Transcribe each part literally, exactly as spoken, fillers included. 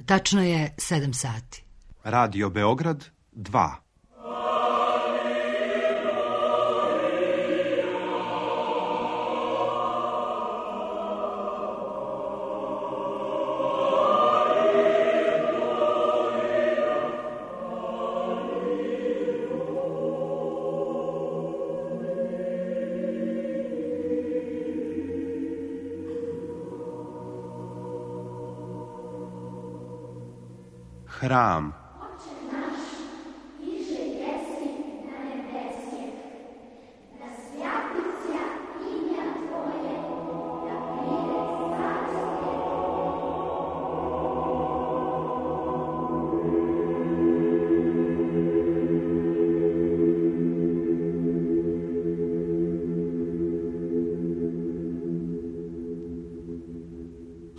Tačno je sedam sati. Radio Beograd dva. Hram.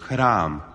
Hram.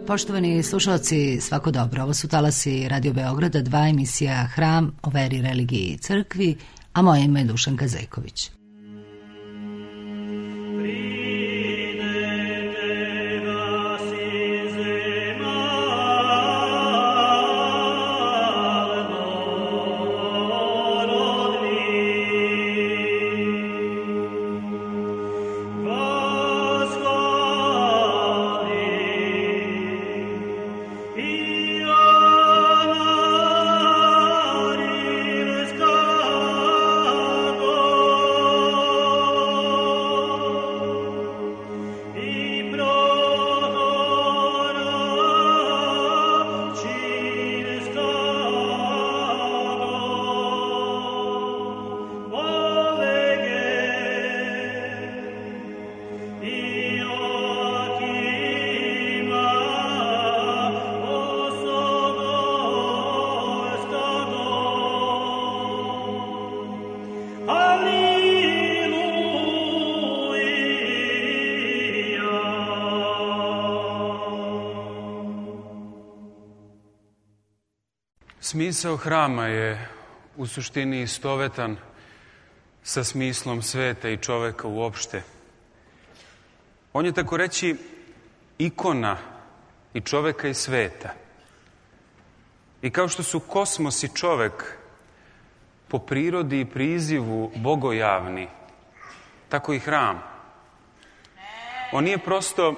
Poštovani slušalci, svako dobro. Ovo su talasi Radio Beograda dva, emisija Hram o veri, religiji i crkvi, a moje ime je Dušanka Zejković. Smisao hrama je u suštini istovetan sa smislom sveta i čoveka uopšte. On je tako reći ikona i čoveka i sveta. I kao što su kosmos i čovek po prirodi i prizivu bogojavni, tako i hram. On nije prosto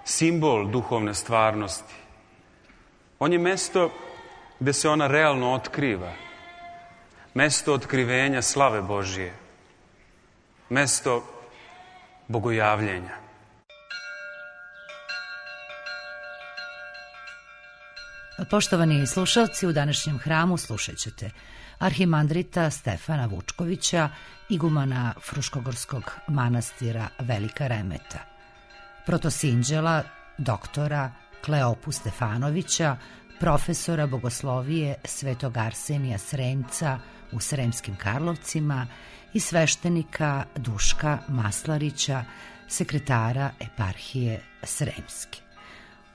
simbol duhovne stvarnosti. On je mesto gde se ona realno otkriva. Mesto otkrivenja slave Božije. Mesto bogojavljenja. Poštovani slušalci, u današnjem hramu slušat ćete arhimandrita Stefana Vučkovića, igumana Fruškogorskog manastira Velika Remeta, protosinđela doktora Kleopu Stefanovića, profesora bogoslovije Svetog Arsenija Sremca u Sremskim Karlovcima i sveštenika Duška Maslarića, sekretara eparhije Sremske.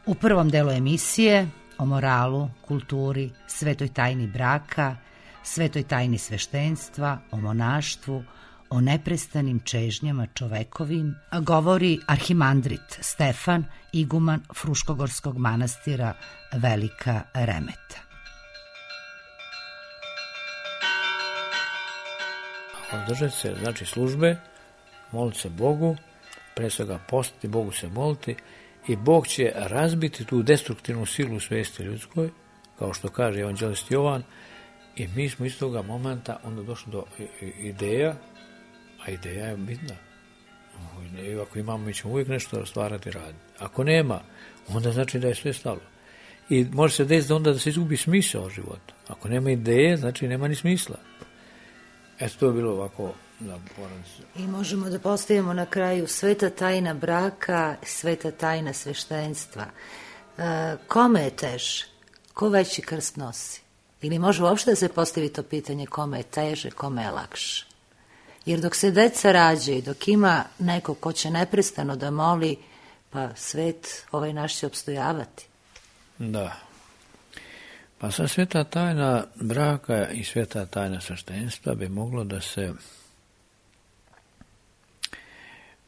U prvom delu emisije o moralu, kulturi, svetoj tajni braka, svetoj tajni sveštenstva, o monaštvu, o neprestanim čežnjama čovekovim, govori arhimandrit Stefan, iguman Fruškogorskog manastira Velika Remeta. Održati se, znači, službe, moliti se Bogu, pre svega postiti, Bogu se moliti, i Bog će razbiti tu destruktivnu silu u svesti ljudskoj, kao što kaže evanđelist Jovan, i mi smo iz toga momenta onda došli do ideja, A ideja je bitna. I ako imamo, mi ćemo uvijek nešto stvarati, raditi. Ako nema, onda znači da je sve stalo. I može se desiti onda da se izgubi smisao života. Ako nema ideje, znači nema ni smisla. Eto, to je bilo ovako na porodicu. I možemo da postavimo na kraju sveta tajna braka, sveta tajna sveštenstva. E, kome je teže? Ko veći krst nosi? Ili može uopšte da se postavi to pitanje kome je teže, kome je lakše? Jer dok se deca rađaju, dok ima neko ko će neprestano da moli, pa svet ovaj naš će opstojavati. Da. Pa sad sveta tajna braka i sveta tajna sveštenstva bi moglo da se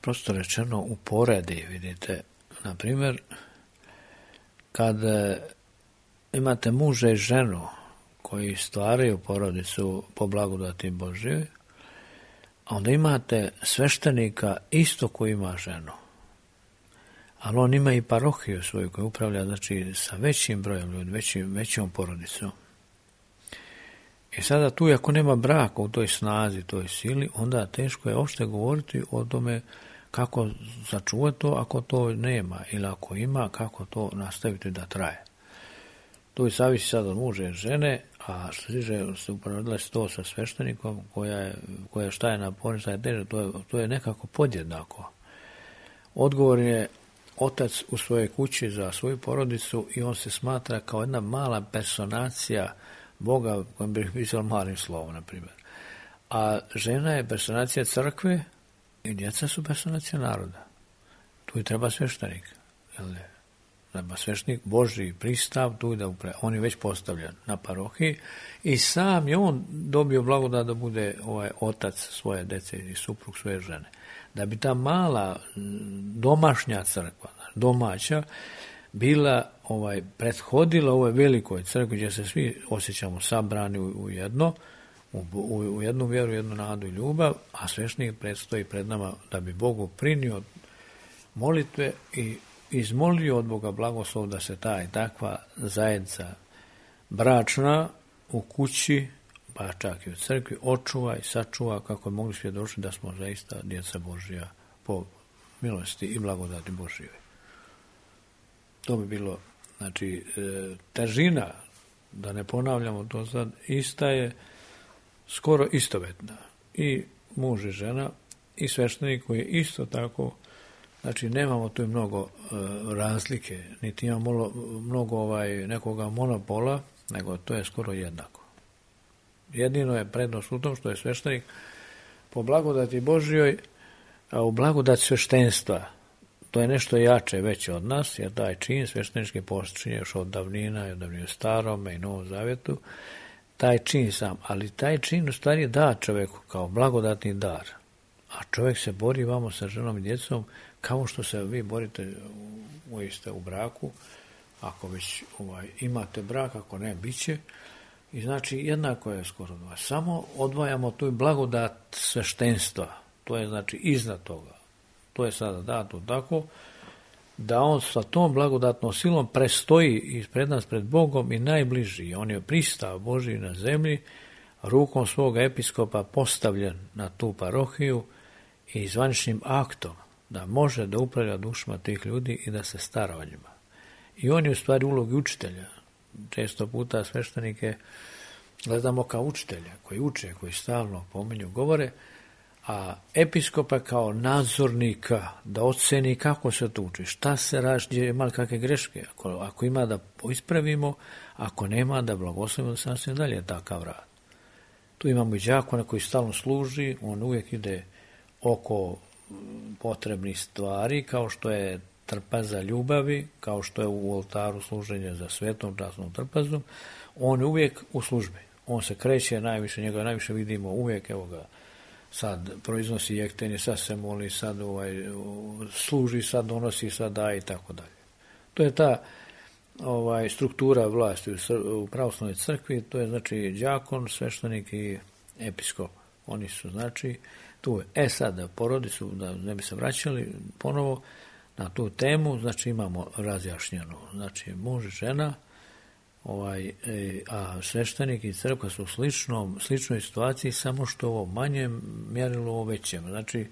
prosto rečeno uporedi, vidite. Na primjer, kad imate muža i ženu koji stvaraju porodicu po blagodati Božjoj, a onda imate sveštenika isto koji ima ženu. Ali on ima i parohiju svoju koju upravlja, znači, sa većim brojem ljudi, većim, većom porodicom. I sada tu, ako nema braka u toj snazi, toj sili, onda teško je uopšte govoriti o tome kako sačuvati to ako to nema, ili ako ima, kako to nastaviti da traje. To je zavisi sad od muža i žene, a što tiže se uporedila se to sa sveštenikom, koja je, koja šta je naporna, šta je teže, to je, to je nekako podjednako. Odgovor je otac u svojoj kući za svoju porodicu i on se smatra kao jedna mala personacija Boga, kojom bih pisao malim slovom, na primjer. A žena je personacija crkve i djeca su personacija naroda. Tu i treba sveštenik. Jel ne? Treba sveštenik, Božji pristav, tu da upre, on je već postavljen na parohiji i sam je on dobio blagodat da bude ovaj otac svoje dece i suprug svoje žene. Da bi ta mala domašnja crkva, domaća, bila ovaj prethodila ovoj velikoj crkvi gdje se svi osjećamo sabrani u, u jedno, u, u, u jednu vjeru, jednu nadu i ljubav, a sveštenik predstoji pred nama da bi Bogu prinio molitve i izmolio od Boga blagoslov da se ta i takva zajednica bračna u kući, pa čak i u crkvi, očuva i sačuva kako je mogli svjedočiti da smo zaista djeca Božja po milosti i blagodati Božjoj. To bi bilo, znači, težina, da ne ponavljamo to sad, ista je skoro istovetna. I muž i žena, i sveštenik koji je isto tako, znači nemamo tu mnogo uh, razlike, niti imamo mnogo ovaj, nekoga monopola, nego to je skoro jednako. Jedino je prednost u tom što je sveštenik po blagodati Božjoj, a u blagodati sveštenstva, to je nešto jače veće od nas, jer taj čin sveštenički počinje još od davnina, od davnina Starome i Novom Zavjetu, taj čin sam, ali taj čin u stvari da čovjeku kao blagodatni dar, a čovjek se bori vamo sa ženom i djecom kao što se vi borite u, u, u braku, ako već ovaj, imate brak, ako ne, bit će. I znači jednako je skoro dva. Samo odvajamo tu blagodat sveštenstva. To je znači iznad toga. To je sada dato tako da on sa tom blagodatnom silom prestoji ispred nas pred Bogom i najbliži. On je pristav Božji na zemlji, rukom svoga episkopa postavljen na tu parohiju i zvaničnim aktom da može da upravlja dušama tih ljudi i da se stara o njima. I on je u stvari ulogi učitelja. Često puta sveštenike gledamo kao učitelja, koji uče, koji stalno pominju, govore, a episkopa kao nadzornika, da oceni kako se to uči, šta se radi, gdje ima kakve greške, ako, ako ima da ispravimo, ako nema da blagoslovimo da se nastavimo dalje takav rad. Tu imamo i đakona koji stalno služi, on uvijek ide oko potrebnih stvari, kao što je trpaza ljubavi, kao što je u oltaru služenje za svetom časnom trpazom, on je uvijek u službi. On se kreće najviše, njega najviše vidimo uvijek, evo ga, sad proiznosi jektenje, sad se moli, sad ovaj, služi, sad donosi, sad daje i tako dalje. To je ta ovaj, struktura vlasti u, u pravoslavnoj crkvi, to je znači đakon, sveštenik i episkop. Oni su znači tu. E sad, porodicu, da ne bi se vraćali ponovo na tu temu, znači imamo razjašnjeno, znači muž i žena, ovaj, e, a sveštenik i crkva su u sličnom, sličnoj situaciji, samo što ovo manje mjerilo ovo većem. Znači,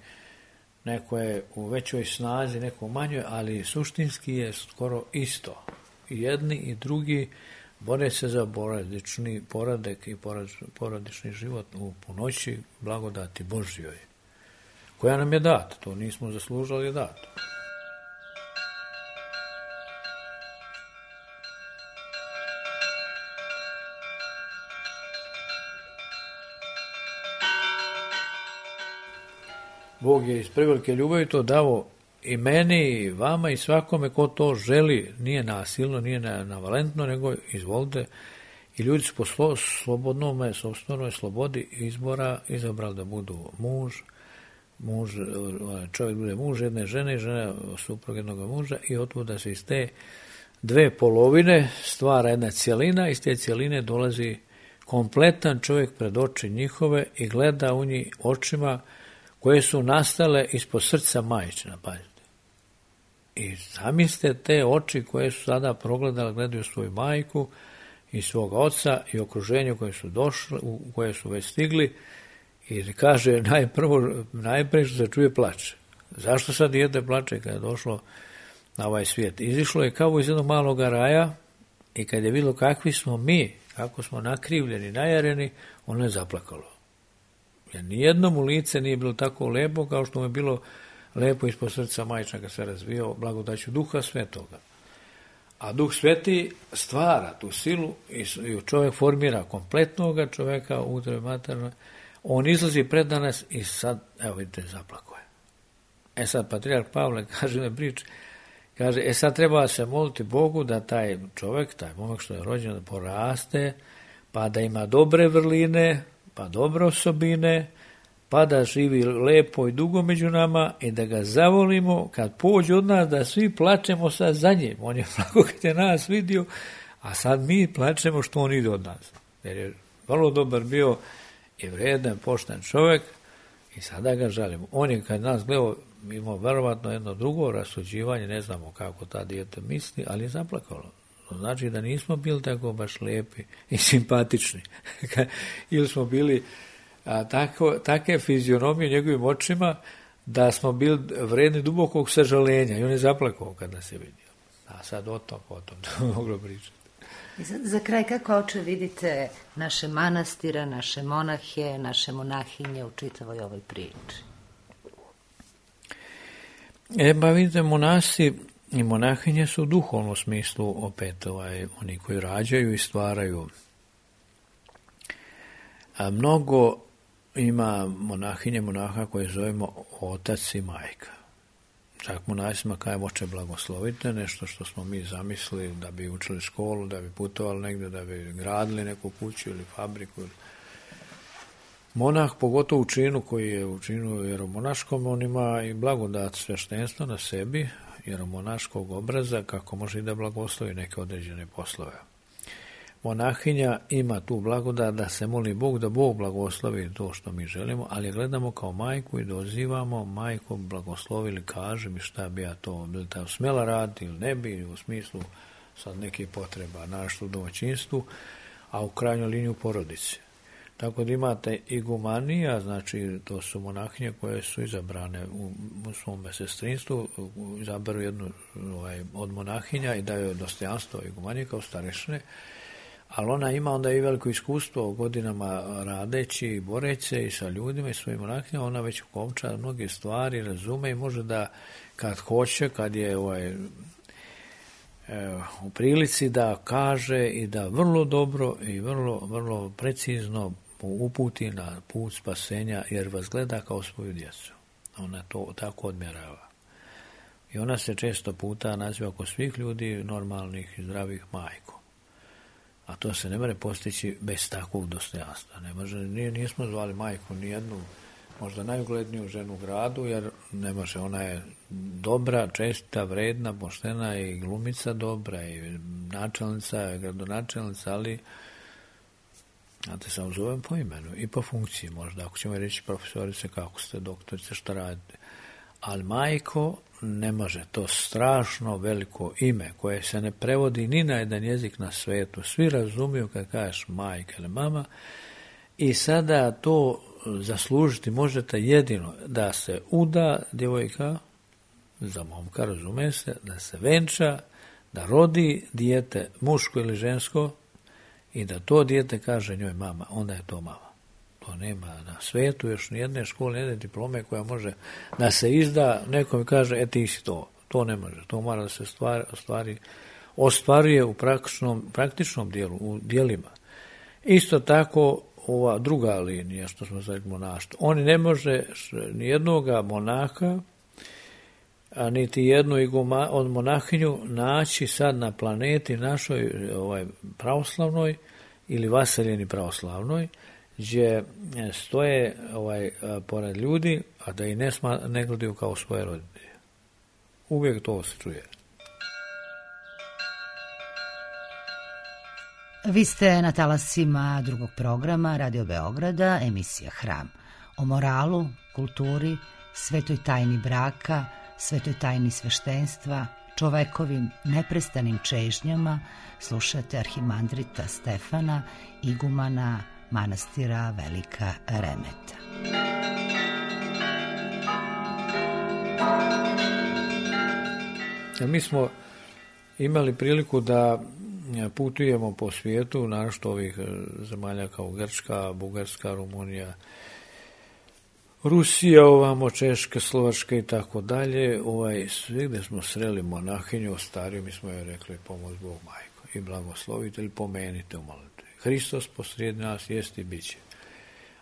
neko je u većoj snazi, neko u manjoj, ali suštinski je skoro isto. I jedni i drugi bore se za porodični poradek i porodični život u punoći blagodati Božjoj, koja nam je data. To nismo zaslužili, je dato. Bog je iz prevelike ljubavi to dao i meni, i vama, i svakome ko to želi. Nije nasilno, nije navalentno, nego izvolite. I ljudi su po slobodnome, sopstvenoj slobodi izbora izabrali da budu muž, muž, čovjek bude muž jedne žene i žena suprug jednog muža, i otkud da se iz te dve polovine stvara jedna cjelina, iz te cjeline dolazi kompletan čovjek pred oči njihove i gleda u njih očima koje su nastale ispod srca majčina, pazite. I zamislite te oči koje su sada progledali, gledaju svoju majku i svog oca i okruženje koje su došli, u koje su već stigli, i kaže najprvo, najprije što se čuje plač. Zašto sad dijete plače kada je došlo na ovaj svijet? Izišlo je kao iz jednog malog raja i kad je vidjelo kakvi smo mi, kako smo nakrivljeni, najareni, ono je zaplakalo. Jer nijednom u lice nije bilo tako lepo kao što mu je bilo lepo ispod srca majčina kad se razvio blagodaću Duha Svetoga. A Duh Sveti stvara tu silu i čovjek formira kompletnoga čovjeka u utrobi maternoj. On izlazi pred nas i sad, evo vidite, zaplako je. E sad, patrijarh Pavle kaže na prič, kaže, e sad treba se moliti Bogu da taj čovjek, taj momak što je rođen, da poraste, pa da ima dobre vrline, pa dobre osobine, pa da živi lepo i dugo među nama i da ga zavolimo kad pođe od nas, da svi plačemo sad za njim. On je plako kad je nas vidio, a sad mi plačemo što on ide od nas. Jer je vrlo dobar bio i vredan, pošten čovjek i sada ga žalimo. On je kad nas gledao imao verovatno jedno drugo rasuđivanje, ne znamo kako ta dijete misli, ali je zaplakalo. To znači da nismo bili tako baš lijepi i simpatični. Ili smo bili a, tako, take fizionomije njegovim očima da smo bili vredni dubokog sažalenja i on je zaplakao kad nas je vidio. A sad o tom, o tom, to moglo pričati. I za, za kraj, kako oče vidite naše manastira, naše monahe, naše monahinje u čitavoj ovoj priči? E, ba vidite, monasi i monahinje su u duhovnom smislu opet ovaj, oni koji rađaju i stvaraju. A mnogo ima monahinje, monaha koje zovemo otac i majka. Čak monasima kajemo oče blagoslovite, nešto što smo mi zamislili da bi učili školu, da bi putovali negdje, da bi gradili neku kuću ili fabriku. Monah, pogotovo u činu koji je u činu jeromonaškom, on ima i blagodat sveštenstva na sebi, jeromonaškog obraza, kako može i da blagoslovi neke određene poslove. Monahinja ima tu blagodat da se moli Bog, da Bog blagoslovi to što mi želimo, ali gledamo kao majku i dozivamo majku blagoslovi ili kaže mi šta bi ja to, bi li ta smjela raditi ili ne bi, u smislu sad nekih potreba našto u domaćinstvu, a u krajnjoj liniji u porodici. Tako da imate igumanija, znači to su monahinje koje su izabrane u, u svom sestrinstvu, izaberu jednu ovaj, od monahinja i daju dostojanstvo igumanije kao starešine, ali ona ima onda i veliko iskustvo godinama radeći i boreći se i sa ljudima i svojim monahinjama, ona već ukovča mnoge stvari, razume i može da kad hoće, kad je ovaj, u prilici da kaže i da vrlo dobro i vrlo, vrlo precizno uputi na put spasenja, jer vas gleda kao svoju djecu. Ona to tako odmjerava. I ona se često puta naziva kod svih ljudi normalnih i zdravih majkom. A to se ne može postići bez takvog dostojanstva. Ne može, nije, nismo zvali majku ni jednu, možda najugledniju ženu u gradu, jer ne može, ona je dobra, česta, vredna, poštena i glumica dobra i načelnica, i gradonačelnica, ali znate, sam zovem po imenu i po funkciji možda, ako ćemo reći profesorice, kako ste, doktorice, šta radite. ali majko ne može, to strašno veliko ime koje se ne prevodi ni na jedan jezik na svetu. Svi razumiju kad kažeš majka ili mama i sada to zaslužiti možete jedino da se uda djevojka, za momka razume se, da se venča, da rodi dijete muško ili žensko i da to dijete kaže njoj mama, onda je to mama. To nema na svetu još nijedne škole, nijedne diplome koja može da se izda, nekom kaže, e ti si to. To ne može, to mora da se stvari, stvari, ostvaruje u praktičnom, praktičnom dijelu, u dijelima. Isto tako ova druga linija, što smo zvali monaštvo. On ne može nijednoga monaka, a niti jednu iguma, od monahinju naći sad na planeti našoj ovaj, pravoslavnoj ili vaseljeni pravoslavnoj, gdje stoje ovaj, pored ljudi, a da i ne, sma, ne gledaju kao svoje roditelje. Uvijek to se čuje. Vi ste na talasima drugog programa Radio Beograda, emisija Hram. O moralu, kulturi, svetoj tajni braka, svetoj tajni sveštenstva, čovekovim neprestanim čežnjama slušate arhimandrita Stefana, igumana manastira Velika Remeta. Mi smo imali priliku da putujemo po svijetu, našto ovih zemalja kao Grčka, Bugarska, Rumunija, Rusija, ovamo Češka, Slovačka i tako dalje. Ovaj, svi gde smo sreli monahinju, stariju, mi smo joj rekli pomoć Bog majko i blagoslovite ili pomenite u molitvi. Hristos posrijedi nas jest i bit će.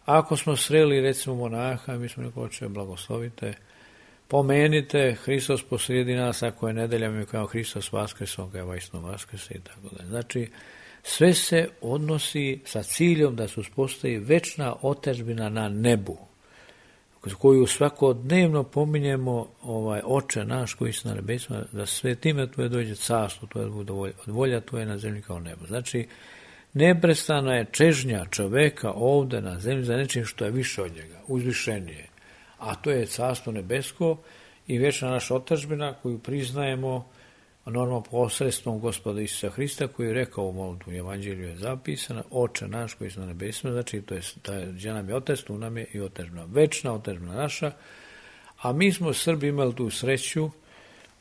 Ako smo sreli recimo monaha, mi smo rekli oče blagoslovite, pomenite, Hristos posrijedi nas, ako je nedelja, mi kao Hristos vaskrese, on ga je vajsno vaskrese i tako dalje. Znači, sve se odnosi sa ciljom da se uspostavi večna otadžbina na nebu, koju svakodnevno pominjemo ovaj oče naš koji si na nebesima, da sve time tvoje dođe carstvo, tvoje bude volja, od volja tvoje na zemlji kao nebo. Znači, neprestana je čežnja čoveka ovde na zemlji za nečim što je više od njega, uzvišenije. A to je carstvo nebesko i večna naša otadžbina koju priznajemo normalno posredstvom Gospoda Isusa Hrista koji je rekao u molitvu, u Evanđelju je zapisana, oče naš koji je na nebesima, znači to je, gdje nam je otac, tu nam je i otadžbina, večna otadžbina naša, a mi smo Srbi imali tu sreću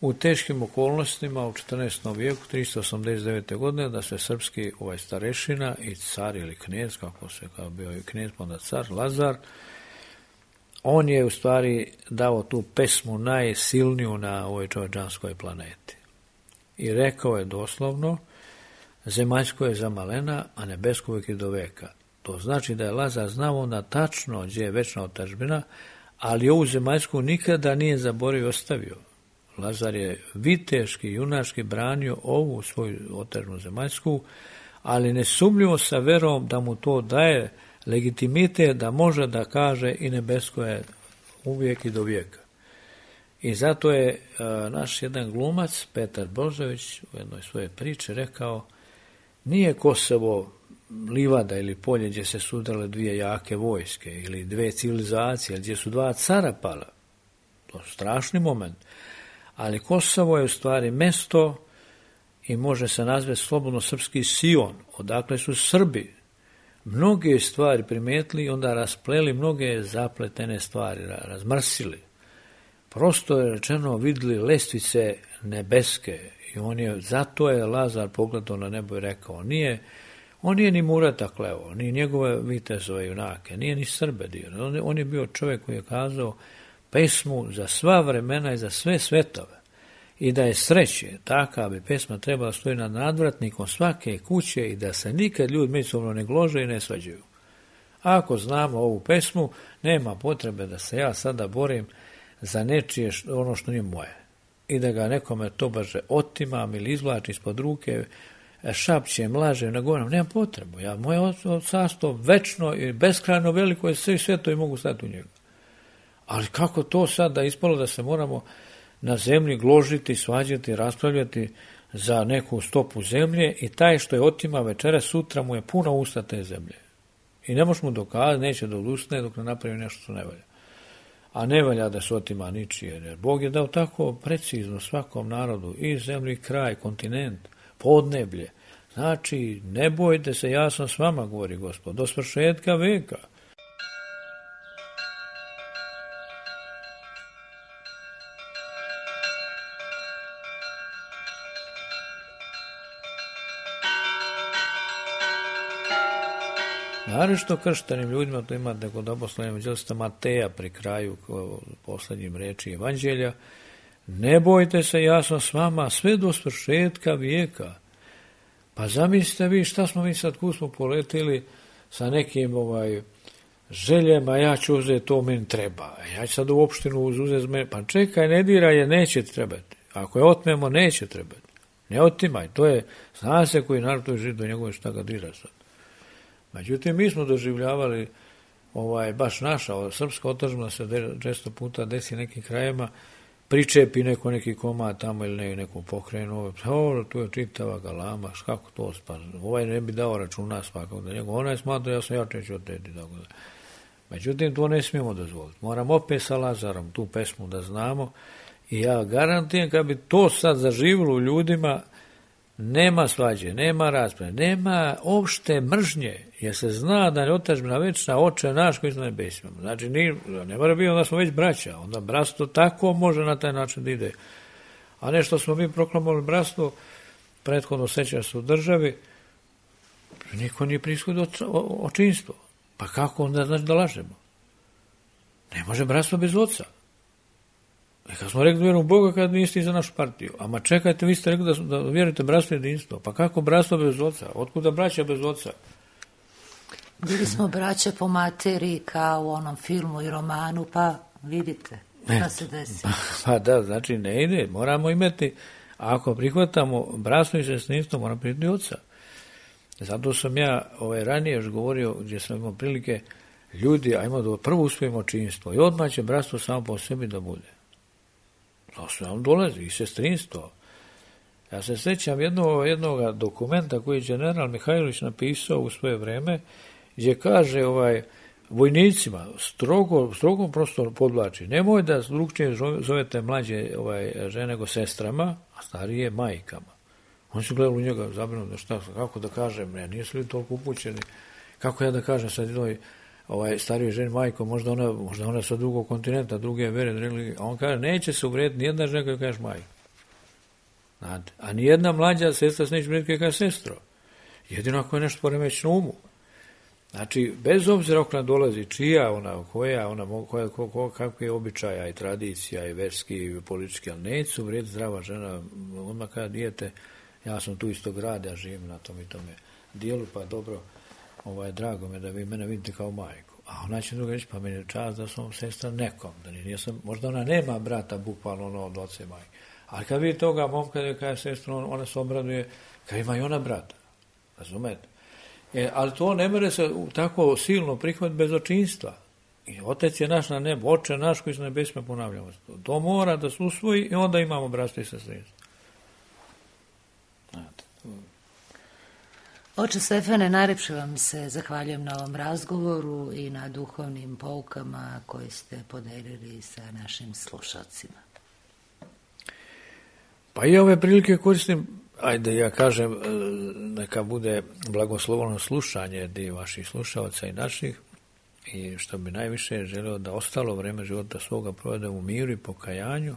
u teškim okolnostima u četrnaestom vijeku, tristo osamdeset devete. godine, da se srpski ovaj starešina i car ili knez, kako se kao bio i knez, onda car, Lazar, on je u stvari dao tu pesmu najsilniju na ovoj čovječanskoj planeti. I rekao je doslovno, zemaljsko je za malena, a nebesko uvijek je do veka. To znači da je Lazar znao onda tačno gdje je večna otadžbina, ali ovu zemaljsku nikada nije zaboravio i ostavio. Lazar je viteški, junački branio ovu svoju otadžbinu zemaljsku, ali nesumnjivo sa verom da mu to daje legitimitet da može da kaže i nebesko je uvijek i do vijeka. I zato je a, naš jedan glumac, Petar Božović, u jednoj svoje priče rekao, nije Kosovo livada ili polje gdje se sudale dvije jake vojske ili dve civilizacije, gdje su dva cara pala. To je strašni moment. Ali Kosovo je u stvari mesto i može se nazvati slobodno srpski Sion, odakle su Srbi mnoge stvari primetili i onda raspleli mnoge zapletene stvari, razmrsili. Prosto je rečeno vidjeli lestvice nebeske i on je, zato je Lazar pogledao na nebo i rekao, nije, on nije ni Murata kleo, ni njegove vitezove junake, nije ni Srbe dio. On, on je bio čovjek koji je kazao pesmu za sva vremena i za sve svetove. I da je sreće, taka bi pesma trebala stoji nad nadvratnikom svake kuće i da se nikad ljudi međusobno ne glože i ne svađaju. Ako znamo ovu pesmu, nema potrebe da se ja sada borim za nečije ono što nije moje. I da ga nekome to baže otimam ili izvlači ispod ruke, šapćem, lažem, ne govorim, nema potrebu. Ja, moje carstvo večno i beskrajno veliko je sve sveto i mogu stati u njega. Ali kako to sad da ispalo da se moramo na zemlji gložiti, svađati, raspravljati za neku stopu zemlje i taj što je otima večera, sutra mu je puna usta te zemlje. I ne možemo dokazati, neće da odustane dok ne napravi nešto što ne valja. a ne valja da se otima ničije, jer Bog je dao tako precizno svakom narodu, i zemlji, kraj, kontinent, podneblje. Znači, ne bojte se, ja sam s vama, govori Gospod, do svršetka veka. Naravno krštenim ljudima, to imate kod apostolnog evanđelista Mateja pri kraju posljednjim reči evanđelja, ne bojte se, ja sam s vama sve do svršetka vijeka. Pa zamislite vi šta smo mi sad, kud smo poletili sa nekim ovaj, željama, ja ću uzeti, to meni treba. Ja ću sad u opštinu uzeti, pa čekaj, ne diraj je, neće trebati. Ako je otmemo, neće trebati. Ne otimaj, to je, zna se koji narod to je živ do njegove, šta ga dira sad. Međutim, mi smo doživljavali ovaj, baš naša, ova srpska otadžbina se de, često puta desi nekim krajima, pričepi neko neki komad tamo ili ne, neku pokrenu, ovo, tu je čitava galama, kako to spa, ovaj ne bi dao računa svakog da njegov, onaj smatra, ja sam jačeći od teti, tako da. Međutim, to ne smijemo dozvoliti. Moramo opet sa Lazarom tu pesmu da znamo i ja garantijem kad bi to sad zaživilo u ljudima, nema svađe, nema rasprave, nema opšte mržnje, jer se zna da je otadžbina večna, Oče naš koji su na nebesima. Znači, ni, ne mora biti, onda smo već braća, onda bratstvo tako može na taj način da ide. A ne što smo mi proklamovali bratstvo, prethodno sećaš se u državi, niko nije prishodio očinstvo. Pa kako onda znači da lažemo? Ne može bratstvo bez oca. I kad smo rekli da vjerujemo u Boga, kad niste i za našu partiju. Ama čekajte, vi ste rekli da, da vjerujete bratstvo jedinstvo. Pa kako bratstvo bez oca? Otkuda braća bez oca? Bili smo braća po materiji kao u onom filmu i romanu, pa vidite šta se desi. Pa da, znači ne ide. Moramo imati, ako prihvatamo bratstvo i sestrinstvo, moramo prihvatiti oca. Zato sam ja ovaj, ranije još govorio, gdje sam imao prilike, ljudi, ajmo da prvo uspijemo činstvo i odmah će bratstvo samo po sebi da bude. To se nam dolazi, i sestrinstvo. Ja se sjećam jednog, jednog dokumenta koji je general Mihajlović napisao u svoje vreme, gdje kaže ovaj, vojnicima, strogo, strogo prosto podvlači, nemoj da drugčije zovete mlađe ovaj, žene nego sestrama, a starije majkama. Oni su gledali u njega zabrinuti, šta, kako da kažem, ja nisu li toliko upućeni, kako ja da kažem sad jednoj ovaj, stariji ženi majko, možda ona, možda ona sa drugog kontinenta, druge vere, religije, a on kaže, neće se uvrediti nijedna žena koja kaže majko. Znate, a nijedna mlađa sestra se neće uvrediti koja kaže sestro. Jedino ako je nešto poremećeno umu. Znači, bez obzira ako nam dolazi čija, ona, koja, ona, koja, ko, ko, kakve je običaja i tradicija i verski i politički, ali neće se uvrediti zdrava žena, odmah kada dijete, ja sam tu isto grad, ja živim na tom i tome dijelu, pa dobro, ovaj, drago me da vi mene vidite kao majku. A ona će druga reći, pa meni je čast da sam sestra nekom, da nisam, možda ona nema brata, bukvalno ono od oca i majke. Ali kad vidi toga momka da je kada je sestra, ona se obraduje, kad ima i ona brata. Razumete? E, ali to ne mere se tako silno prihvatiti bez očinstva. I Otec je naš na nebu, Oče naš koji se nebesima, ponavljamo. To mora da se usvoji i onda imamo bratstvo i sestrinstvo. Znate. Oče Stefane, najlepše vam se zahvaljujem na ovom razgovoru i na duhovnim poukama koje ste podelili sa našim slušalcima. Pa i ove prilike koristim, ajde ja kažem, neka bude blagosloveno slušanje dio vaših slušalaca i naših, i što bi najviše želeo da ostalo vreme života svoga provede u miru i pokajanju,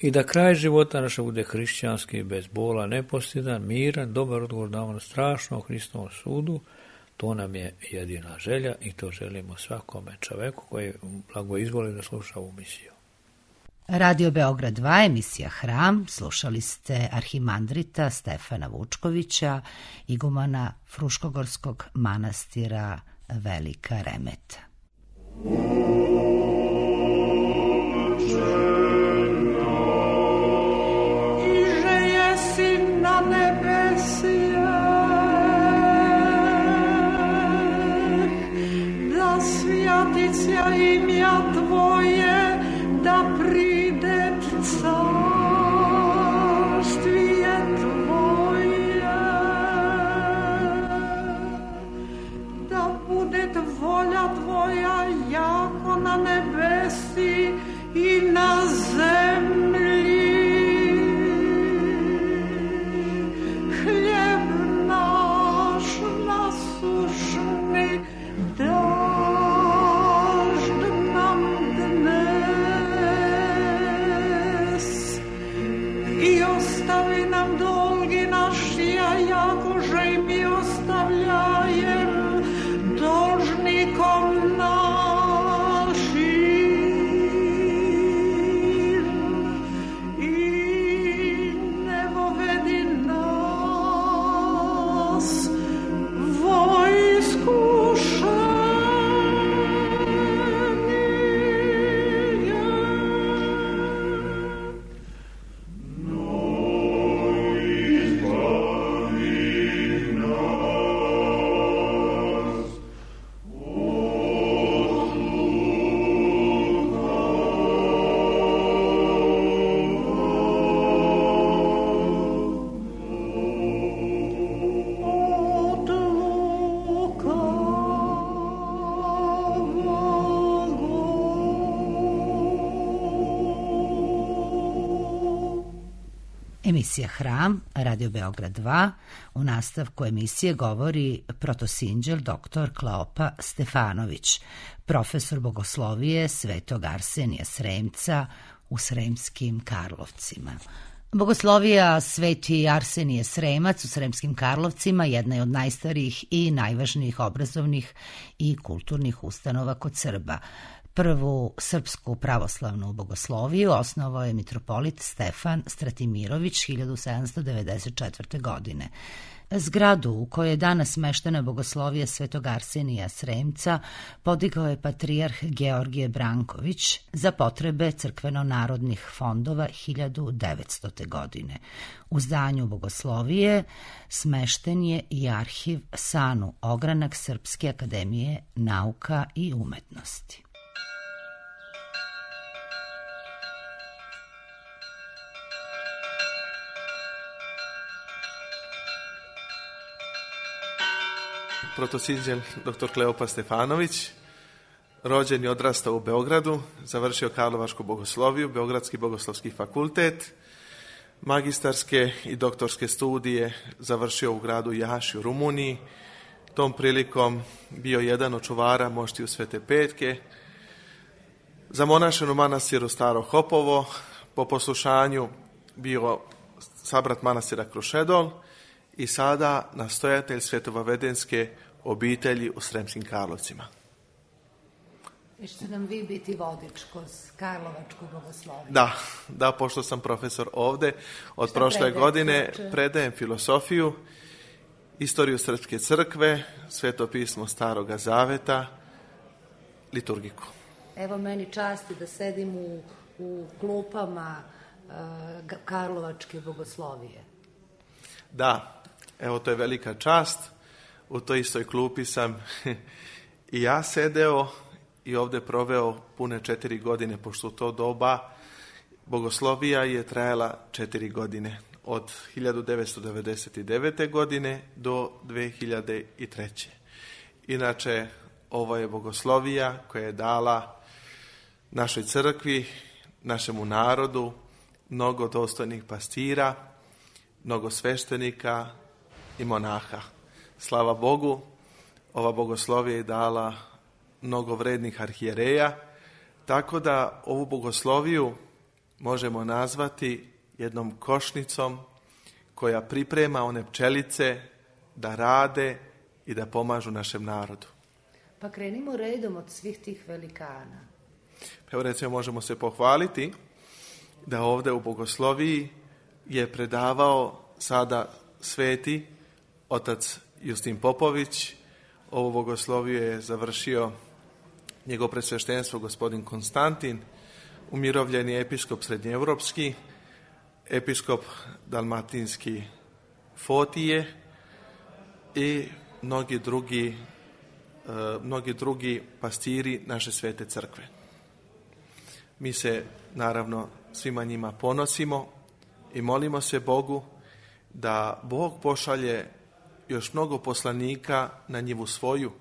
i da kraj života naša bude hrišćanski, bez bola, nepostidan, miran, dobar odgovor na ono strašno Hristovom sudu. To nam je jedina želja i to želimo svakome čoveku koji blago izvoli da sluša ovu misiju. Radio Beograd dva, emisija Hram, slušali ste arhimandrita Stefana Vučkovića, igumana Fruškogorskog manastira Velika Remeta. Svjatića imja Tvoje, da pride carštvije Tvoje, da bude volja Tvoja jako na Emisija Hram, Radio Beograd dva. U nastavku emisije govori protosinđel doktor Kleopa Stefanović, profesor bogoslovije Svetog Arsenija Sremca u Sremskim Karlovcima. Bogoslovija Sveti Arsenije Sremac u Sremskim Karlovcima jedna je od najstarijih i najvažnijih obrazovnih i kulturnih ustanova kod Srba. Prvu srpsku pravoslavnu bogosloviju osnovao je mitropolit Stefan Stratimirović hiljadu sedamsto devedeset četvrte. godine. Zgradu u kojoj je danas smeštena bogoslovija Svetog Arsenija Sremca podigao je patrijarh Georgije Branković za potrebe crkveno-narodnih fondova hiljadu devetstote. godine. U zdanju bogoslovije smešten je i arhiv Sanu Ogranak Srpske akademije nauka i umetnosti. Protosinđel doktor Kleopa Stefanović, rođen i odrastao u Beogradu, završio Karlovačku bogosloviju, Beogradski bogoslovski fakultet, magistarske i doktorske studije završio u gradu Jaši u Rumuniji, tom prilikom bio jedan od čuvara moštiju Svete Petke, zamonašen u manastiru Staro Hopovo, po poslušanju bio sabrat manastira Krušedol i sada nastojatelj Svetovavedenske obitelji u Sremskim Karlovcima. I ćete nam vi biti vodič kroz Karlovačku bogosloviju? Da, da, pošto sam profesor ovde, od Šta prošle predajem, godine znači? predajem filosofiju, istoriju Srpske crkve, Sveto pismo Staroga Zaveta, liturgiku. Evo meni časti da sedim u, u klupama uh, Karlovačke bogoslovije. Da, evo to je velika čast, u toj istoj klupi sam i ja sedeo i ovde proveo pune četiri godine, pošto u to doba bogoslovija je trajala četiri godine, od hiljadu devetsto devedeset devete. godine do dve hiljade treće. Inače, ovo je bogoslovija koja je dala našoj crkvi, našemu narodu, mnogo dostojnih pastira, mnogo sveštenika i monaha. Slava Bogu, ova bogoslovija je dala mnogo vrednih arhijereja, tako da ovu bogosloviju možemo nazvati jednom košnicom koja priprema one pčelice da rade i da pomažu našem narodu. Pa krenimo redom od svih tih velikana. Evo recimo možemo se pohvaliti da ovde u bogosloviji je predavao sada sveti otac Justin Popović. Ovu bogosloviju je završio njegov presveštenstvo gospodin Konstantin, umirovljeni episkop srednjeevropski, episkop dalmatinski Fotije i mnogi drugi, mnogi drugi pastiri naše svete crkve. Mi se naravno svima njima ponosimo i molimo se Bogu da Bog pošalje još mnogo poslanika na njivu svoju,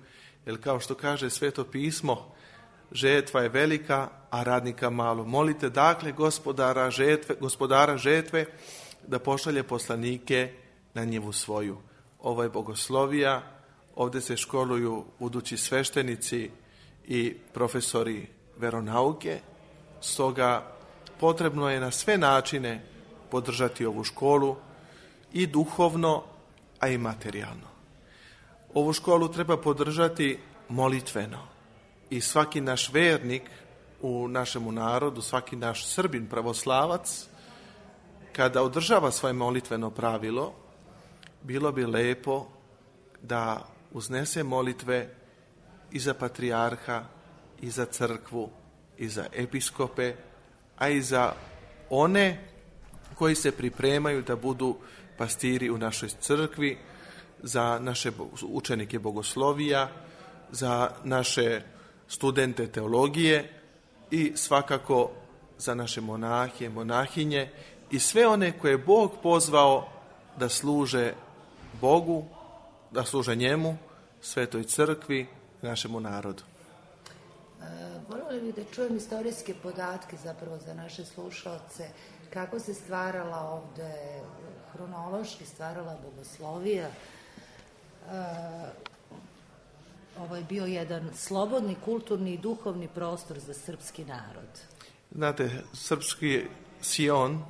jer kao što kaže Sveto pismo, žetva je velika, a radnika malo. Molite dakle gospodara žetve, gospodara žetve da pošalje poslanike na njivu svoju. Ovo je bogoslovija, ovdje se školuju budući sveštenici i profesori veronauke, stoga potrebno je na sve načine podržati ovu školu i duhovno, a i materijalno. Ovu školu treba podržati molitveno i svaki naš vernik u našemu narodu, svaki naš Srbin pravoslavac, kada održava svoje molitveno pravilo, bilo bi lepo da uznese molitve i za patrijarha, i za crkvu, i za episkope, a i za one koji se pripremaju da budu pastiri u našoj crkvi, za naše učenike bogoslovija, za naše studente teologije i svakako za naše monahe, monahinje i sve one koje je Bog pozvao da služe Bogu, da služe njemu, Svetoj crkvi, našemu narodu. Voljeli bih da čujem istorijske podatke zapravo za naše slušalce, kako se stvarala ovde, hronološki stvarala bogoslovija. Ovo je bio jedan slobodni, kulturni i duhovni prostor za srpski narod. Znate, srpski Sion,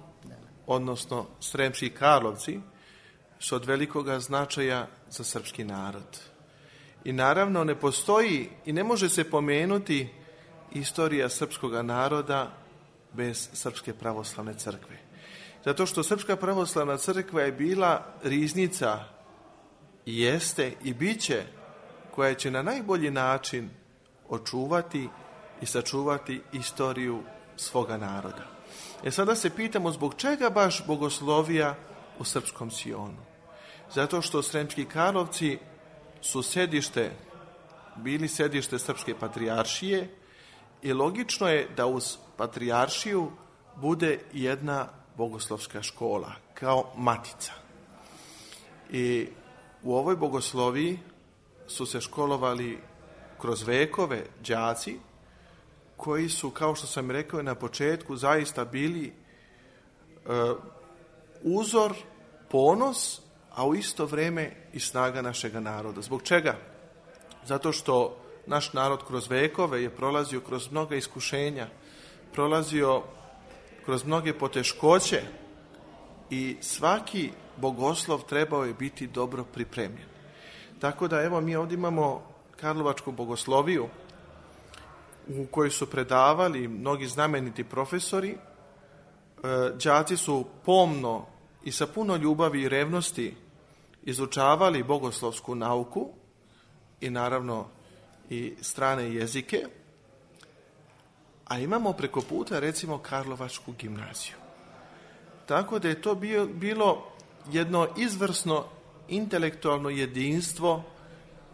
odnosno Sremski Karlovci, su od velikoga značaja za srpski narod. I naravno ne postoji i ne može se pomenuti istorija srpskog naroda bez Srpske pravoslavne crkve. Zato što Srpska pravoslavna crkva je bila riznica, jeste i biće, koja će na najbolji način očuvati i sačuvati istoriju svoga naroda. E sada se pitamo zbog čega baš bogoslovija u srpskom Sionu. Zato što Sremski Karlovci su sedište, bili sedište Srpske patrijaršije i logično je da uz patrijaršiju bude jedna bogoslovska škola, kao matica. I u ovoj bogosloviji su se školovali kroz vekove đaci koji su, kao što sam rekao na početku, zaista bili e, uzor, ponos, a u isto vrijeme i snaga našega naroda. Zbog čega? Zato što naš narod kroz vekove je prolazio kroz mnoga iskušenja, prolazio kroz mnoge poteškoće i svaki bogoslov trebao je biti dobro pripremljen. Tako da evo mi ovdje imamo Karlovačku bogosloviju u kojoj su predavali mnogi znameniti profesori. Đaci su pomno i sa puno ljubavi i revnosti izučavali bogoslovsku nauku i naravno i strane jezike. A imamo preko puta recimo Karlovačku gimnaziju. Tako da je to bio, bilo jedno izvrsno intelektualno jedinstvo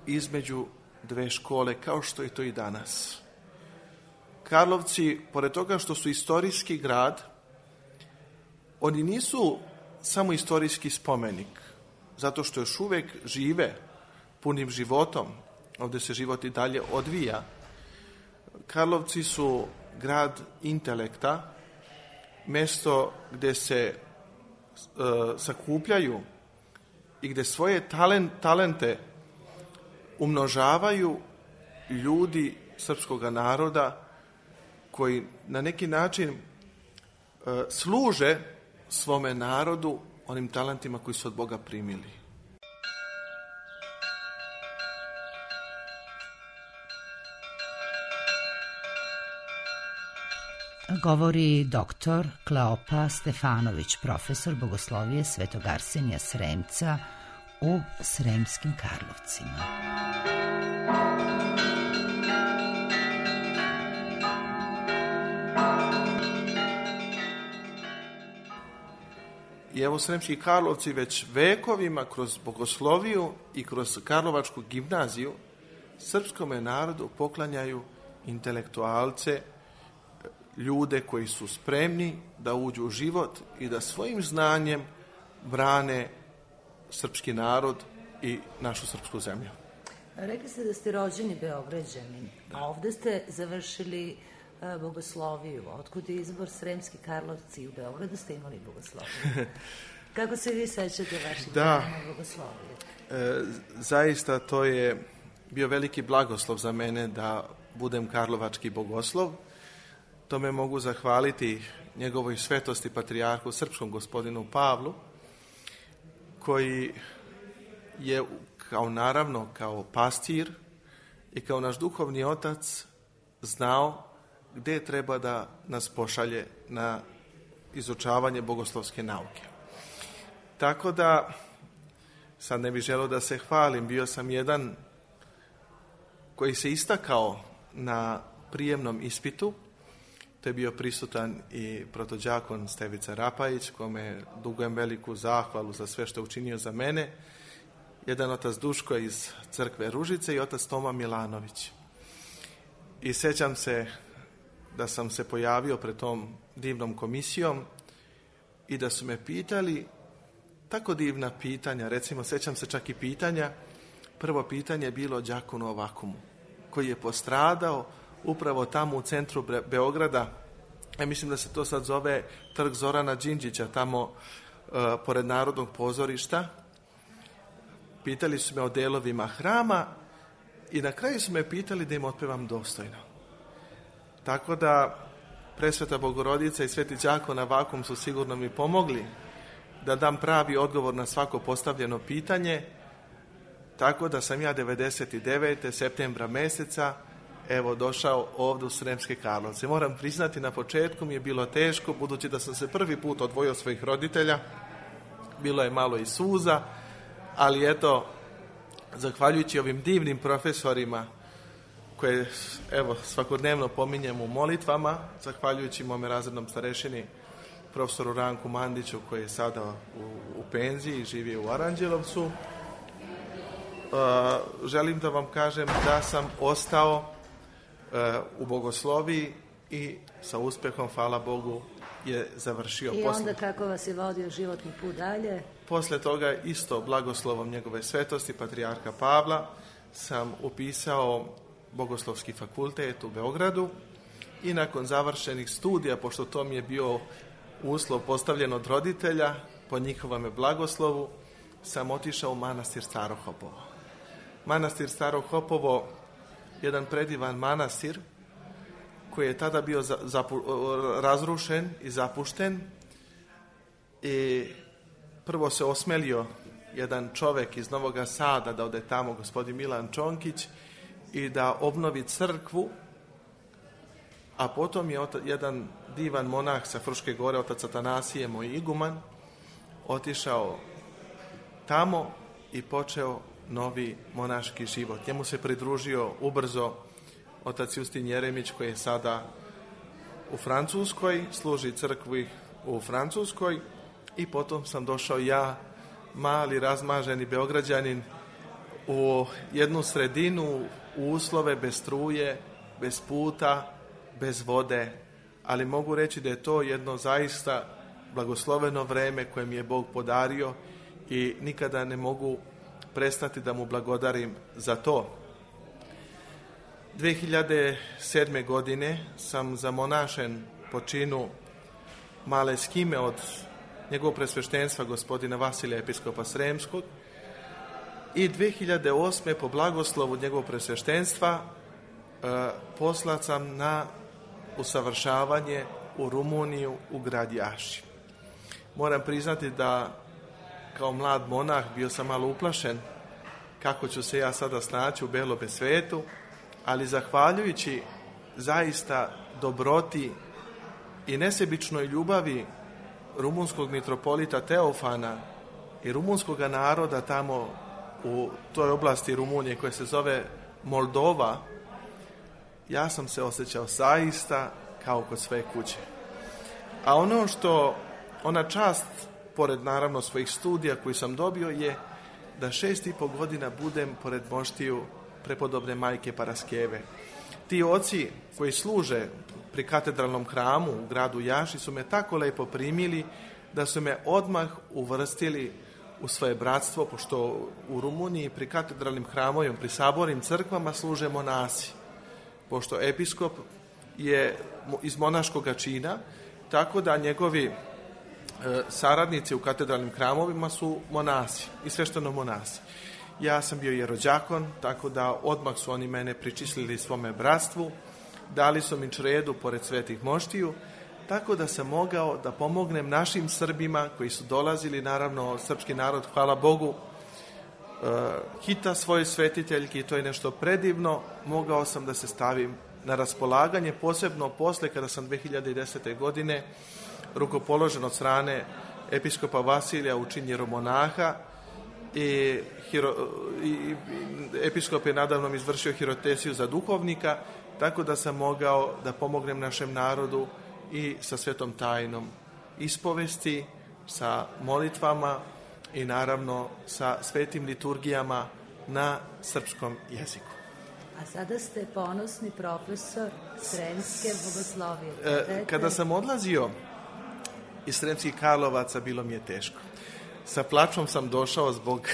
između dve škole, kao što je to i danas. Karlovci, pored toga što su istorijski grad, oni nisu samo istorijski spomenik, zato što još uvijek žive punim životom, ovdje se život i dalje odvija. Karlovci su grad intelekta, mjesto gdje se e, sakupljaju i gdje svoje talent, talente umnožavaju ljudi srpskog naroda koji na neki način e, služe svome narodu onim talentima koji su od Boga primili. Govori doktor Kleopa Stefanović, profesor bogoslovije Svetog Arsenija Sremca u Sremskim Karlovcima. I evo Sremski Karlovci već vekovima kroz bogosloviju i kroz Karlovačku gimnaziju srpskome narodu poklanjaju intelektualce, ljude koji su spremni da uđu u život i da svojim znanjem brane srpski narod i našu srpsku zemlju. Rekli ste da ste rođeni Beograđanin, a ovdje ste završili uh, bogosloviju. Otkud je izbor Sremski Karlovci? U Beogradu ste imali bogosloviju. Kako se vi sećate vaših dana bogoslovije? E, zaista to je bio veliki blagoslov za mene da budem karlovački bogoslov. Tome mogu zahvaliti njegovoj svetosti patrijarhu srpskom gospodinu Pavlu, koji je kao naravno kao pastir i kao naš duhovni otac znao gdje treba da nas pošalje na izučavanje bogoslovske nauke. Tako da, sad ne bih želeo da se hvalim, bio sam jedan koji se istakao na prijemnom ispitu. To je bio prisutan i protođakon Stevica Rapajić, kome dugujem veliku zahvalu za sve što je učinio za mene. Jedan otac Duško iz crkve Ružice i otac Toma Milanović. I sjećam se da sam se pojavio pred tom divnom komisijom i da su me pitali tako divna pitanja. Recimo, sjećam se čak i pitanja. Prvo pitanje je bilo đakonu Ovakumu, koji je postradao upravo tamo u centru Beograda. Ja mislim da se to sad zove Trg Zorana Đinđića, tamo uh, pored Narodnog pozorišta. Pitali su me o delovima hrama i na kraju su me pitali da im otpevam dostojno. Tako da Presveta Bogorodica i Sveti đakon na Vakum su sigurno mi pomogli da dam pravi odgovor na svako postavljeno pitanje, tako da sam ja devedeset devete septembra meseca evo došao ovdje u Sremske Karlovce. Moram priznati, na početku mi je bilo teško, budući da sam se prvi put odvojio od svojih roditelja, bilo je malo i suza, ali eto, zahvaljujući ovim divnim profesorima koje evo svakodnevno pominjem u molitvama, zahvaljujući mome razrednom starešini profesoru Ranku Mandiću, koji je sada u, u penziji i živi u Aranđelovcu, uh, želim da vam kažem da sam ostao uh, u bogosloviji i sa uspehom, hvala Bogu, je završio. I Posle... onda kako vas je vodio životni put dalje? Posle toga isto blagoslovom njegove svetosti, patrijarha Pavla, sam upisao Bogoslovski fakultet u Beogradu i nakon završenih studija, pošto to mi je bio uslov postavljen od roditelja, po njihovome blagoslovu, sam otišao u manastir Staro Hopovo. Manastir Staro Hopovo, jedan predivan manastir koji je tada bio za, zapu, razrušen i zapušten, i prvo se osmelio jedan čovek iz Novog Sada da ode tamo, gospodin Milan Čonkić, i da obnovi crkvu, a potom je jedan divan monah sa Fruške gore, otac Atanasije, moj iguman, otišao tamo i počeo novi monaški život. Njemu se pridružio ubrzo otac Justin Jeremić, koji je sada u Francuskoj, služi crkvi u Francuskoj, i potom sam došao ja, mali razmaženi Beograđanin, u jednu sredinu, u uslove bez struje, bez puta, bez vode, ali mogu reći da je to jedno zaista blagosloveno vreme koje mi je Bog podario i nikada ne mogu prestati da mu blagodarim za to. dve hiljade sedme. godine sam zamonašen po činu male skime od njegovog presveštenstva gospodina Vasilija, episkopa Sremskog, i dve hiljade osme. po blagoslovu njegovog presveštenstva e, poslat sam na usavršavanje u Rumuniju, u grad Jaši. Moram priznati da kao mlad monah bio sam malo uplašen kako ću se ja sada snaći u belome svetu, ali zahvaljujući zaista dobroti i nesebičnoj ljubavi rumunskog mitropolita Teofana i rumunskog naroda tamo u toj oblasti Rumunije koja se zove Moldova, ja sam se osjećao zaista kao kod svoje kuće. A ono što, ona čast, pored naravno svojih studija koji sam dobio, je da šest i po godina budem pored moštiju prepodobne majke Paraskeve. Ti oci koji služe pri katedralnom hramu u gradu Jaši su me tako lepo primili da su me odmah uvrstili u svoje bratstvo, pošto u Rumuniji pri katedralnim hramovima, pri sabornim crkvama služe monasi. Pošto episkop je iz monaškog čina, tako da njegovi e, saradnici u katedralnim hramovima su monasi i svešteno monasi. Ja sam bio jerođakon, tako da odmah su oni mene pričислili svome bratstvu, dali su mi čredu pored svetih moštiju, tako da sam mogao da pomognem našim Srbima koji su dolazili, naravno srpski narod, hvala Bogu, hita svoje svetiteljki, to je nešto predivno, mogao sam da se stavim na raspolaganje, posebno posle kada sam dve hiljade desete. godine rukopoložen od strane episkopa Vasilija u čin jeromonaha i, hiro, i, i episkop je nadavno izvršio hirotesiju za duhovnika, tako da sam mogao da pomognem našem narodu i sa svetom tajnom ispovesti, sa molitvama i naravno sa svetim liturgijama na srpskom jeziku. A sada ste ponosni profesor Sremske bogoslovije. E, kada sam odlazio iz Sremskih Karlovaca, bilo mi je teško. Sa plačom sam došao zbog,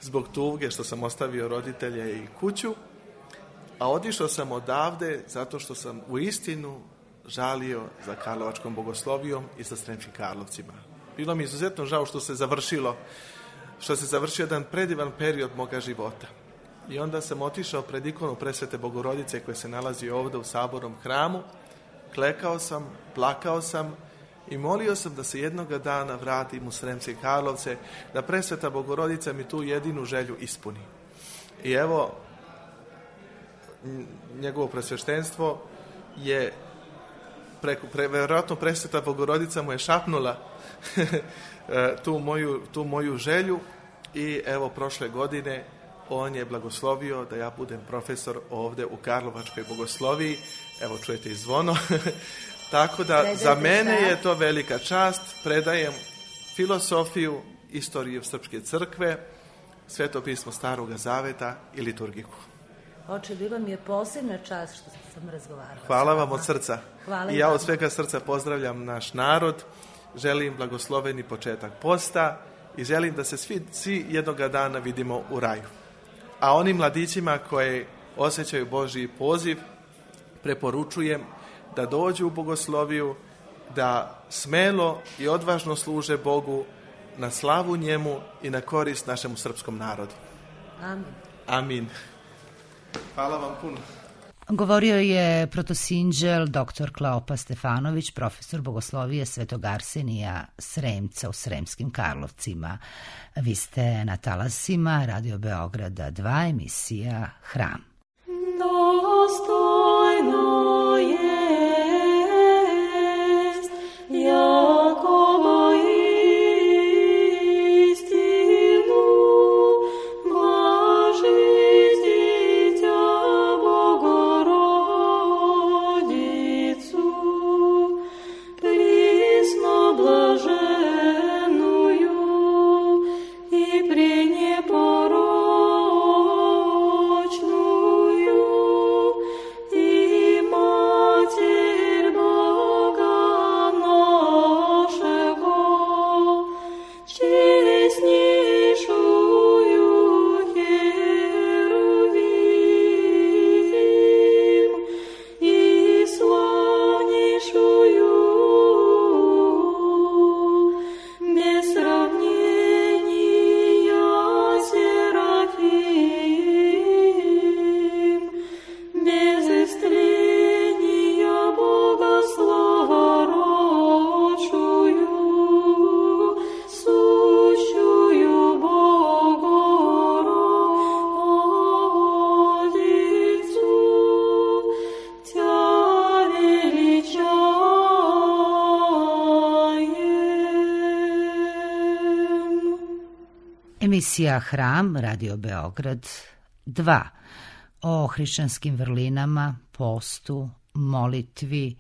zbog tuge što sam ostavio roditelje i kuću, a otišao sam odavde zato što sam u istinu žalio za Karlovačkom bogoslovijom i za Sremskim Karlovcima. Bilo mi izuzetno žao što se završilo, što se završio jedan predivan period moga života. I onda sam otišao pred ikonu Presvete Bogorodice koja se nalazi ovdje u sabornom hramu, klekao sam, plakao sam i molio sam da se jednoga dana vratim u Sremske Karlovce, da Presveta Bogorodica mi tu jedinu želju ispuni. I evo, njegovo presveštenstvo je preko, pre, vjerojatno Presveta Bogorodica mu je šapnula tu, moju, tu moju želju i evo prošle godine on je blagoslovio da ja budem profesor ovdje u Karlovačkoj bogosloviji. Evo čujete i zvono. Tako da Predajte za mene šta? Je to velika čast. Predajem filosofiju, istoriju Srpske crkve, Sveto pismo Staroga Zaveta i liturgiku. Oče, bila mi je posebna čast što sam razgovarala. Hvala vam od srca. Hvala I ja od svega srca pozdravljam naš narod. Želim blagosloveni početak posta i želim da se svi, svi jednoga dana vidimo u raju. A onim mladićima koji osjećaju Božji poziv, preporučujem da dođu u bogosloviju, da smelo i odvažno služe Bogu na slavu njemu i na korist našemu srpskom narodu. Amin. Amin. Hvala vam puno. Govorio je protosinđel doktor Kleopa Stefanović, profesor bogoslovije Svetog Arsenija Sremca u Sremskim Karlovcima. Vi ste na talasima Radio Beograda dva, emisija Hram. Dostojno jest Jakova istinu, blažist dитя Bogorodicu, присно блаженную и пренепорочную, и Матерь Бога нашего, честнейшую Херувим и славнейшую без сравнения Серафим, без истления Богословородшую, сущую Богородицу, Тя величаем. Emisija Hram, Radio Beograd dva, o hrišćanskim vrlinama, postu, molitvi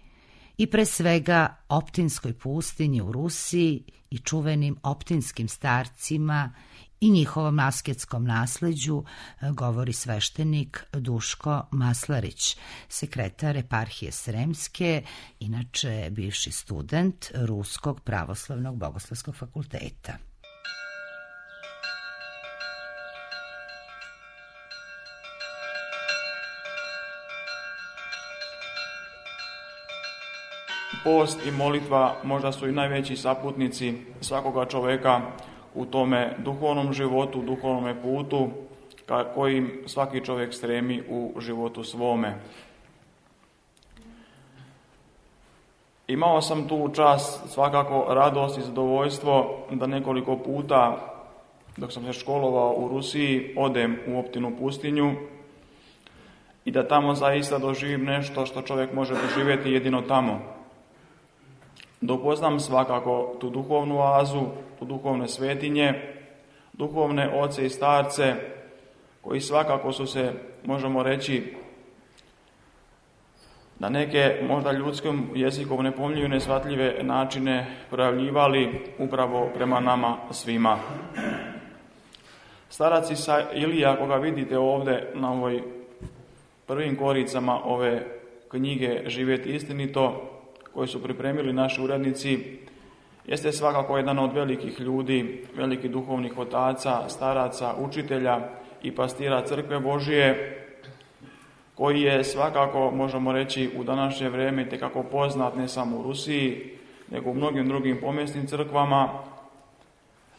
i pre svega Optinskoj pustinji u Rusiji i čuvenim optinskim starcima i njihovom asketskom nasleđu govori sveštenik Duško Maslarić, sekretar eparhije Sremske, inače bivši student Ruskog pravoslavnog bogoslovskog fakulteta. Post i molitva možda su i najveći saputnici svakoga čoveka u tome duhovnom životu, duhovnom putu ka kojim svaki čovjek stremi u životu svome. Imao sam tu čast, svakako radost i zadovoljstvo da nekoliko puta dok sam se školovao u Rusiji odem u Optinu pustinju i da tamo zaista doživim nešto što čovjek može doživjeti jedino tamo. Da upoznam svakako tu duhovnu oazu, tu duhovne svetinje, duhovne oce i starce, koji svakako su se, možemo reći, na neke možda ljudskom jezikom nepojmljive i neshvatljive načine projavljivali upravo prema nama svima. Starac Ilija, koga vidite ovdje na ovoj prvim koricama ove knjige Živjeti istinito, koji su pripremili naši urednici, jeste svakako jedan od velikih ljudi, velikih duhovnih otaca, staraca, učitelja i pastira Crkve Božije, koji je svakako, možemo reći, u današnje vrijeme itekako poznat ne samo u Rusiji, nego u mnogim drugim pomjesnim crkvama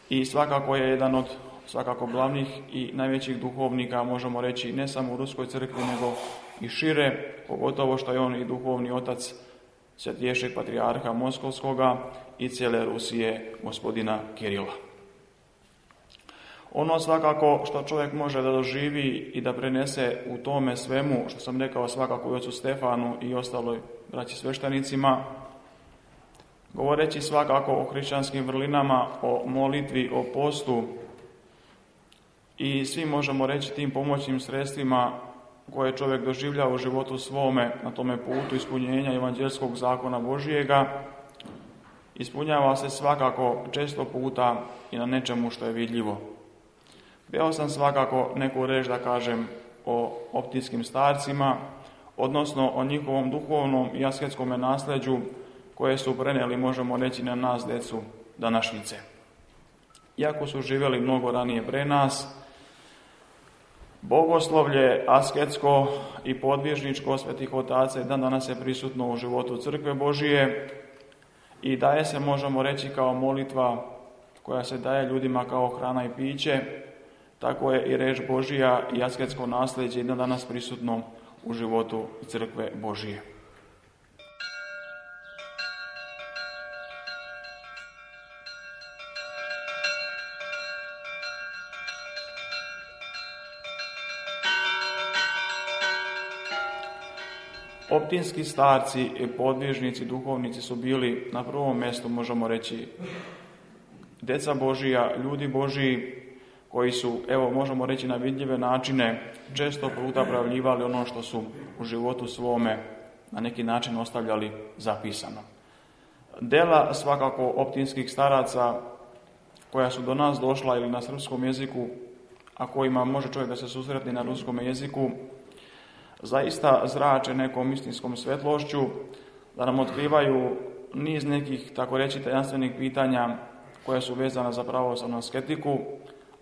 i svakako je jedan od svakako glavnih i najvećih duhovnika, možemo reći, ne samo u Ruskoj crkvi, nego i šire, pogotovo što je on i duhovni otac Svetiješeg patrijarha Moskovskoga i cijele Rusije, gospodina Kirila. Ono svakako što čovjek može da doživi i da prenese u tome svemu, što sam rekao svakako i ocu Stefanu i ostaloj braći sveštenicima, govoreći svakako o hrišćanskim vrlinama, o molitvi, o postu i svi možemo reći tim pomoćnim sredstvima koje čovjek doživlja u životu svome na tome putu ispunjenja evanđelskog zakona Božijega, ispunjava se svakako često puta i na nečemu što je vidljivo. Htio sam svakako neku reč da kažem o optijskim starcima, odnosno o njihovom duhovnom i asketskom nasljeđu koje su prenijeli, možemo reći, na nas, decu današnjice. Iako su živjeli mnogo ranije pre nas, bogoslovlje, asketsko i podvježničko svetih otaca dan danas je prisutno u životu Crkve Božije i daje se, možemo reći, kao molitva koja se daje ljudima kao hrana i piće, tako je i reč Božija i asketsko nasljeđe dan danas prisutno u životu Crkve Božije. Optinski starci i podvižnici, duhovnici su bili na prvom mjestu, možemo reći, deca Božija, ljudi Božiji, koji su, evo, možemo reći na vidljive načine, često puta pravljivali ono što su u životu svome na neki način ostavljali zapisano. Dela svakako optinskih staraca koja su do nas došla ili na srpskom jeziku, a kojima može čovjek da se susretne na ruskom jeziku, zaista zrače nekom istinskom svetlošću, da nam otkrivaju niz nekih, tako reći, tajanstvenih pitanja koja su vezana za pravoslavnu asketiku,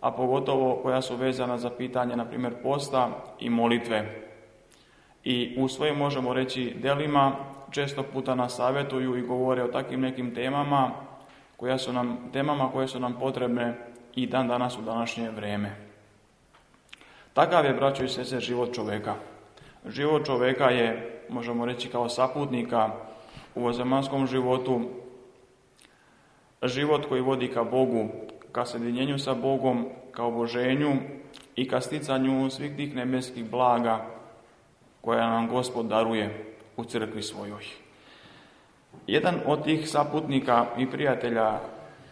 a pogotovo koja su vezana za pitanje, na primjer, posta i molitve. I u svojim, možemo reći, delima često puta nas savjetuju i govore o takvim nekim temama, koja su nam, temama koje su nam potrebne i dan danas u današnje vrijeme. Takav je, braćo i sestre, život čovjeka. Život čovjeka je, možemo reći, kao saputnika u ovozemanskom životu, život koji vodi ka Bogu, ka sjedinjenju sa Bogom, ka oboženju i ka sticanju svih tih nebeskih blaga koja nam Gospod daruje u crkvi svojoj. Jedan od tih saputnika i prijatelja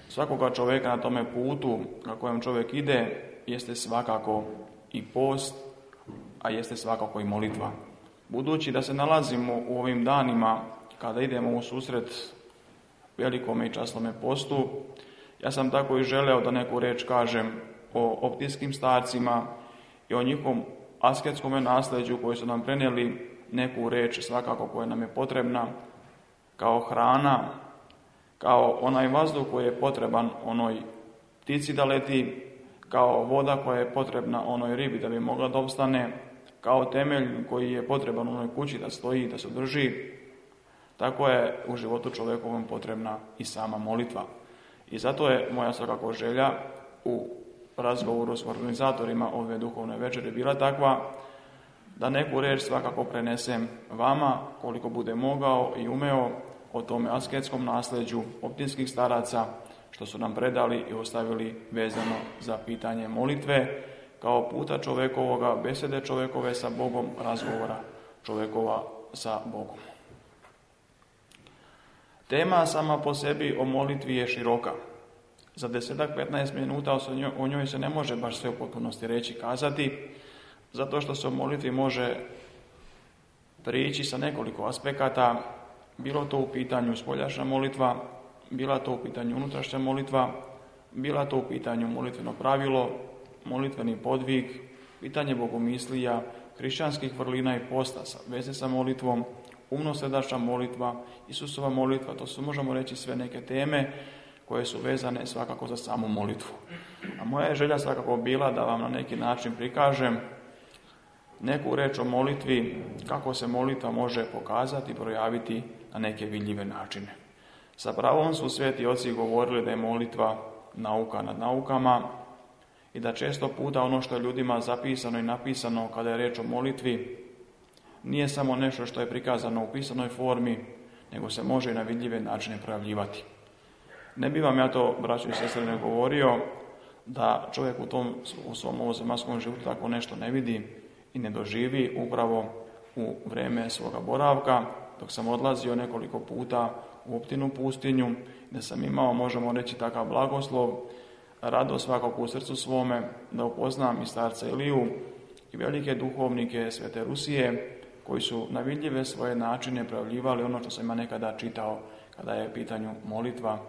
svakoga čovjeka na tome putu na kojem čovjek ide jeste svakako i post, a jeste svakako i molitva. Budući da se nalazimo u ovim danima kada idemo u susret velikome i časnome postu, ja sam tako i želeo da neku reč kažem o optijskim starcima i o njihovom asketskom nasljeđu koji su nam prenijeli neku reč svakako koja nam je potrebna kao hrana, kao onaj vazduh koji je potreban onoj ptici da leti, kao voda koja je potrebna onoj ribi da bi mogla da opstane, kao temelj koji je potreban onoj kući da stoji, da se drži. Tako je u životu čovjekovom potrebna i sama molitva. I zato je moja svakako želja u razgovoru s organizatorima ove duhovne večere bila takva da neku reč svakako prenesem vama koliko bude mogao i umeo o tome asketskom nasljeđu optinskih staraca što su nam predali i ostavili vezano za pitanje molitve kao puta čovjekovoga, besede čovjekove sa Bogom, razgovora čovjekova sa Bogom. Tema sama po sebi o molitvi je široka. Za desetak petnaest minuta o njoj se ne može baš sve u potpunosti reći kazati, zato što se o molitvi može prići sa nekoliko aspekata, bilo to u pitanju spoljašnja molitva, bila to u pitanju unutrašnja molitva, bila to u pitanju molitveno pravilo, molitveni podvig, pitanje bogomislija, hrišćanskih vrlina i posta, veze sa molitvom, umno-srdačna molitva, Isusova molitva, to su, možemo reći, sve neke teme koje su vezane svakako za samu molitvu. A moja je želja svakako bila da vam na neki način prikažem neku reč o molitvi, kako se molitva može pokazati i projaviti na neke vidljive načine. Sa pravom su sveti oci govorili da je molitva nauka nad naukama i da često puta ono što je ljudima zapisano i napisano kada je reč o molitvi nije samo nešto što je prikazano u pisanoj formi, nego se može i na vidljive načine projavljivati. Ne bi vam ja to, braćo i sestre, ne govorio da čovjek u tom u svom ovozemaljskom životu tako nešto ne vidi i ne doživi upravo u vrijeme svoga boravka, dok sam odlazio nekoliko puta u Optinu pustinju, da sam imao, možemo reći, takav blagoslov, radost svakog u srcu svome, da upoznam i starca Iliju i velike duhovnike Svete Rusije, koji su na vidljive svoje načine projavljivali ono što sam ja nekada čitao kada je u pitanju molitva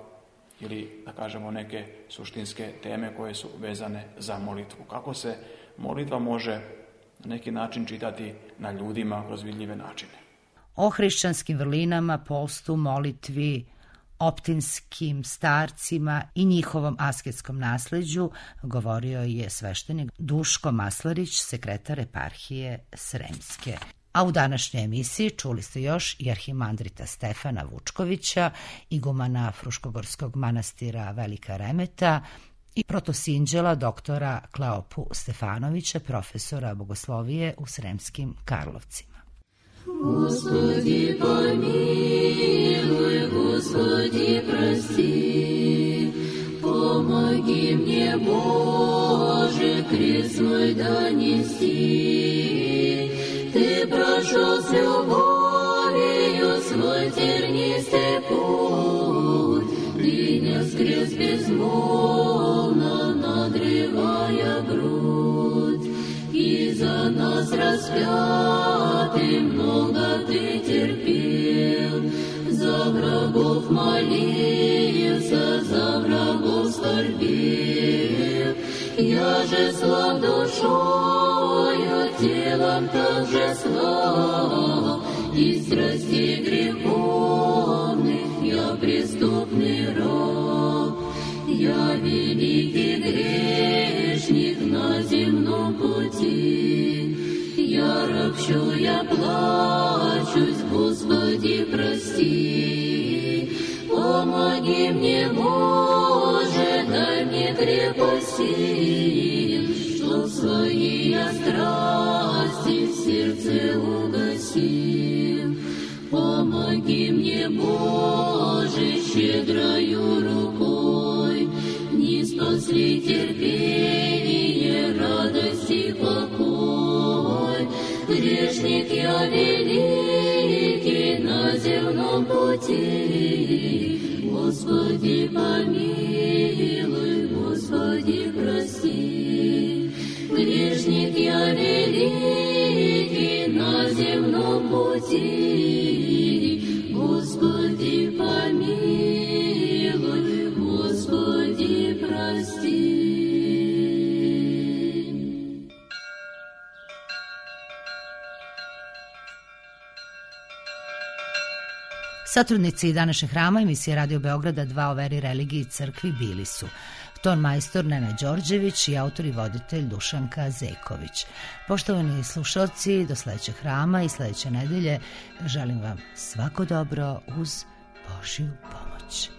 ili, da kažemo, neke suštinske teme koje su vezane za molitvu. Kako se molitva može na neki način čitati na ljudima kroz vidljive načine. O hrišćanskim vrlinama, postu, molitvi, optinskim starcima i njihovom asketskom nasleđu govorio je sveštenik Duško Maslarić, sekretar eparhije Sremske. A u današnjoj emisiji čuli ste još i arhimandrita Stefana Vučkovića, igumana Fruškogorskog manastira Velika Remeta i protosinđela doktora Kleopu Stefanovića, profesora bogoslovije u Sremskim Karlovcima. Господи, помилуй, Господи, прости, помоги мне, Боже, крест свой донести. Ты прошел с любовью свой тернистый путь, Ты нес крест безмолвно, надрывая грудь, и за нас распятый много Ты терпел, за врагов молился, за врагов скорбел. Я же слаб душою, телом также слаб, и страстей греховных я преступный раб. Я великий грешник на земном пути, я ропщу, я плачусь, Господи, прости. Помоги мне, Боже, дай мне крепости, чтоб свои я страсти в сердце угасил. Помоги мне, Боже, щедрою рукой, не спасли терпение, радость и покой. Грешник я великий на земном пути, Господи, помилуй, Господи, прости. Грешник я великий на земном пути, Господи, помилуй, Господи, прости. Satrudnici današnjeg hrama emisije Radio Beograda dva o veri, religiji i crkvi bili su ton majstor Nenad Đorđević i autor i voditelj Dušanka Zeković. Poštovani slušalci, do sledećeg hrama i sledeće nedelje želim vam svako dobro uz Božju pomoć.